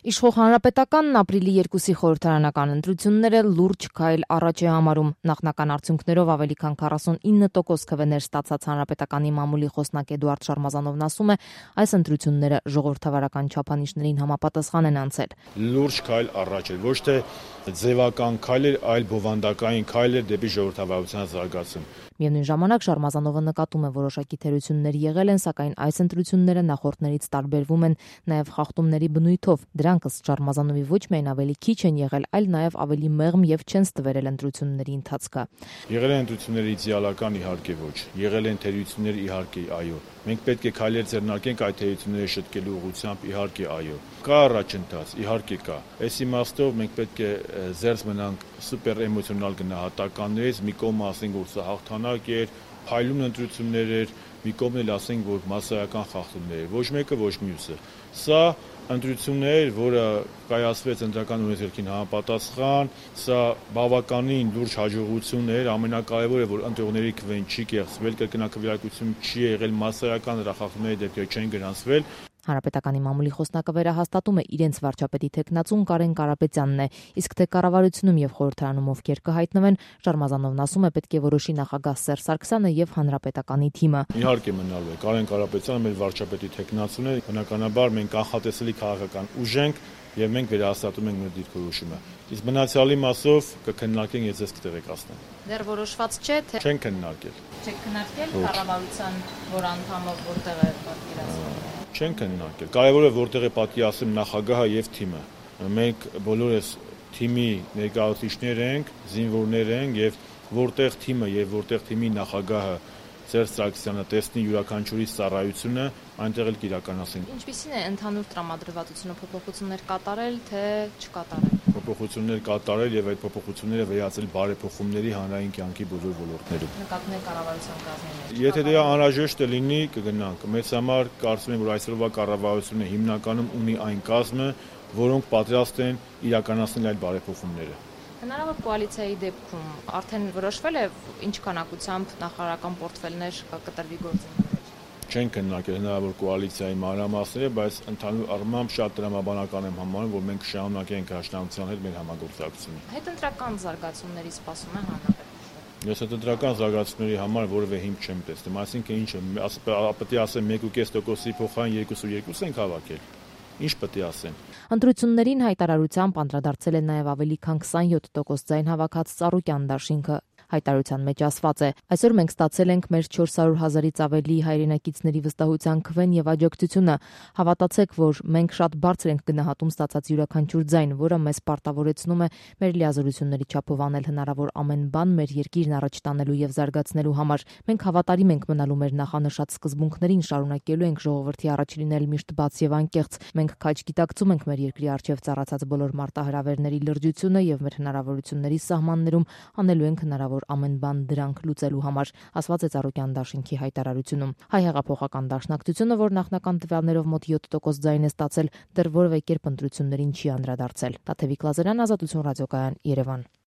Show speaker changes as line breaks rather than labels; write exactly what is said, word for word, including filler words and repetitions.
Իշխող Հանրապետականն ապրիլի երկուսի խորհրդարանական ընտրությունները լուրջ քայլ առաջ է համարում։ Նախնական արդյունքներով ավելի քան քառասունինը տոկոս քվեներ ստացած Հանրապետականի մամուլի խոսնակ Էդուարդ Շարմազանովն ասում է, այս ընտրությունները ժողովրդավարական չափանիշներին համապատասխան են անցել։
Լուրջ քայլ առաջ էր, ոչ թե ձևական քայլ էր, այլ բովանդակային քայլ էր դեպի ժողովրդավարության զարգացում։
Միևնույն ժամանակ Շարմազանովը նկատում է որոշակի թերություններ եղել են, սակայն այս ընտրությունները նախորդներից տարբերվում են նաև խախտումների բնույթով։ Դրանք ըստ Շարմազանովի ոչ միայն ավելի քիչ են եղել, այլ նաև ավելի մեղմ եւ չեն ստվերել ընտրությունների ընթացքը։
Եղել են ընտրությունները իդեալական, իհարկե ոչ։ Եղել են թերություններ, իհարկե այո։ Մենք պետք է քայլեր ձեռնարկենք այդ թերությունները շտկելու ուղղությամբ, իհարկե այո։ Կա առաջընթաց, իհարկե կա։ Այս իմաստով մենք պետք է զերծ մնանք սուպեր էմոցիոնալ գնահատականներից, մի կողմ ասենք, որ սա հաղթանակ էր, փայլուն ընտրություններ էր, մի կողմն էլ ասենք, որ մասսայական խախտումներ էր, ոչ մեկը, ոչ մյուսը։ Սա ընտրություններ, որը կայացվեց ընտրական օրենսգրքին համապատասխան, սա բավականին լուրջ հաջողություն էր, ամենակարևորը, որ ընտրողների քվեն չի կեղծվել, կրկնակվիրակություն չի եղել, մասսայական դրախախտումների դեպքեր չեն գրանցվել։
Հանրապետականի մամուլի խոսնակը վերահաստատում է իրենց վարչապետի թեկնածուն Կարեն Կարապետյանն է, իսկ թե կառավարությունում եւ խորհրդարանում ովքեր կհայտնվեն, Շարմազանովն ասում է, պետք է որոշի նախագահ Սերժ Սարգսյանը եւ Հանրապետականի թիմը։
Իհարկե մնալու է Կարեն Կարապետյանը մեր վարչապետի թեկնածուն է, բնականաբար մենք անխատեսելի քաղաքական ուժ ենք եւ մենք վերահաստատում ենք մեր դիրքորոշումը։ Իսկ մնացյալի մասով կքննարկենք, ես ձեզ կտեղեկացնեմ։
Դեռ որոշված չէ, թե
չեն քննարկել։
Չեք քննարկել կառավարության որ անդամը որտեղ է պատկերացնում։
Չեն քննարկել։ Կարևորը որտեղ է պատկերացնում նախագահը եւ թիմը։ Մենք բոլորս թիմի ներկայացուցիչներ ենք, զինվորներ ենք եւ որտեղ թիմը եւ որտեղ թիմի նախագահը Սերժ Սարգսյանը տեսնի յուրաքանչյուրի ծառայությունը, այնտեղ էլ կիրականացնենք։
Ինչպիսին է ընդհանուր տրամադրվածությունը, փոփոխություններ կատարել, թե չկատարել։
Փոփոխություններ կատարել եւ այդ փոփոխությունները վերածել բարեփոխումների հանրային կյանքի բոլոր ոլորտներում։
Նկատում եք կառավարության կազմին։
Եթե դա անհրաժեշտ է լինի, կգնանք։ Մեծ համար կարծում եմ, որ այսօրվա կառավարությունը հիմնականում ունի այն կազմը, որոնք պատրաստ են իրականացնել այդ բարեփոխումները։
Հնարավոր կոալիցիայի դեպքում արդեն որոշվել է ինչ քանակությամբ նախարարական պորտֆելներ կտրվի գործընթացը։
Չեն քննարկել հնարավոր կոալիցիայի մանրամասները, բայց ընդհանուր առմամբ շատ տրամաբանական եմ համարում, որ մենք շարունակենք Դաշնամության հետ մեր համագործակցությունը։
Հետընտրական զարգացումների սպասում է հանրապետությունը։
Ես հետընտրական զարգացումների համար որևէ հիմք չեմ տեսնում, այսինքն ինչը պետք է ասեմ մեկ կես տոկոսի փոխարեն երկու կես երկու ենք հավաքել։ Ինչ պետք է ասեմ։
Ընտրություններին հայտարարությամբ անդրադարձել է նաև ավելի քան քսանյոթ տոկոս ձայն հավաքած Ծառուկյան դաշինքը։ Հայտարարության մեջ ասված է. այսօր մենք ստացել ենք մեր չորս հարյուր հազարից ավելի հայրենակիցների վստահության քվեն եւ աջակցությունը։ Հավատացեք, որ մենք շատ բարձր ենք գնահատում ստացած յուրաքանչյուր ձայն, որը մեզ պարտավորեցնում է մեր լիազորությունների չափով անել հնարավոր ամեն բան մեր երկիրն առաջ տանելու եւ զարգացնելու համար։ Մենք հավատարիմ ենք մնալու մեր նախանշած սկզբունքներին, շարունակելու ենք ժողովրդի առաջ լինել միշտ բաց եւ անկեղծ։ Մենք քաջ գիտակցում ենք մեր երկրի առջև ծառացած բոլոր մարտահրավերների լրջությունը եւ մեր հնարավորությունների սահմաններում անելու ենք հնարավոր ամեն բան դրանք լուծելու համար, ասված է Ծառուկյան դաշինքի հայտարարությունում։ Հայ հեղափոխական դաշնակցությունը, որ նախնական տվյալներով մոտ յոթ տոկոս ձայն է ստացել, դեռ որևէ կերպ ընտրություններին չի անդրադարձել։ Տաթևիկ Լազարյան, Ազատություն ռադիոկայան, Երևան։